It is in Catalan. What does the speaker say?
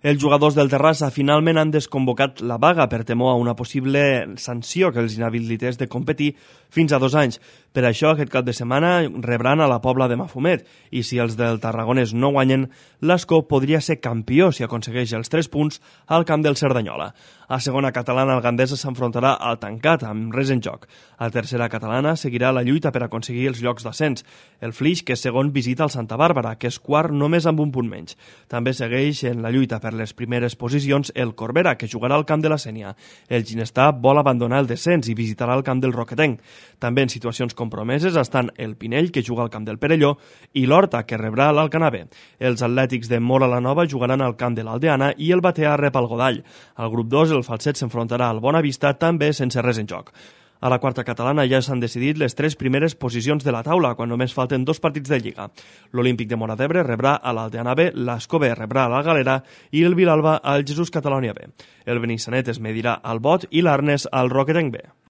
Els jugadors del Terrassa finalment han desconvocat la vaga per temor a una possible sanció que els inhabilités de competir fins a 2 anys. Per això, aquest cap de setmana rebran a la Pobla de Mafumet i si els del Tarragonès no guanyen, l'Escó podria ser campió si aconsegueix els 3 punts al camp del Cerdanyola. A segona catalana, el Gandesa s'enfrontarà al tancat amb res en joc. A tercera catalana seguirà la lluita per aconseguir els llocs d'ascens. El Flix, que és segon, visita el Santa Bàrbara, que és quart només amb un punt menys. També segueix en la lluita per les primeres posicions el Corbera, que jugarà al camp de la Sénia. El Ginestar vol abandonar el descens i visitarà el camp del Roquetenc. També en situacions compromeses estan el Pinell, que juga al camp del Perelló, i l'Horta, que rebrà l'Alcanavè. Els atlètics de Móra la Nova jugaran al camp de l'Aldeana i el Batea rep el Godall. Al grup 2, el Falset s'enfrontarà al Bonavista, també sense res en joc. A la quarta catalana ja s'han decidit les 3 primeres posicions de la taula, quan només falten 2 partits de Lliga. L'Olímpic de Móra d'Ebre rebrà a l'Aldeana B, l'Escó B rebrà a la Galera i el Vilalba al Jesús Catalònia B. El Benissanet es medirà al Bot i l'Arnes al Roquetenc B.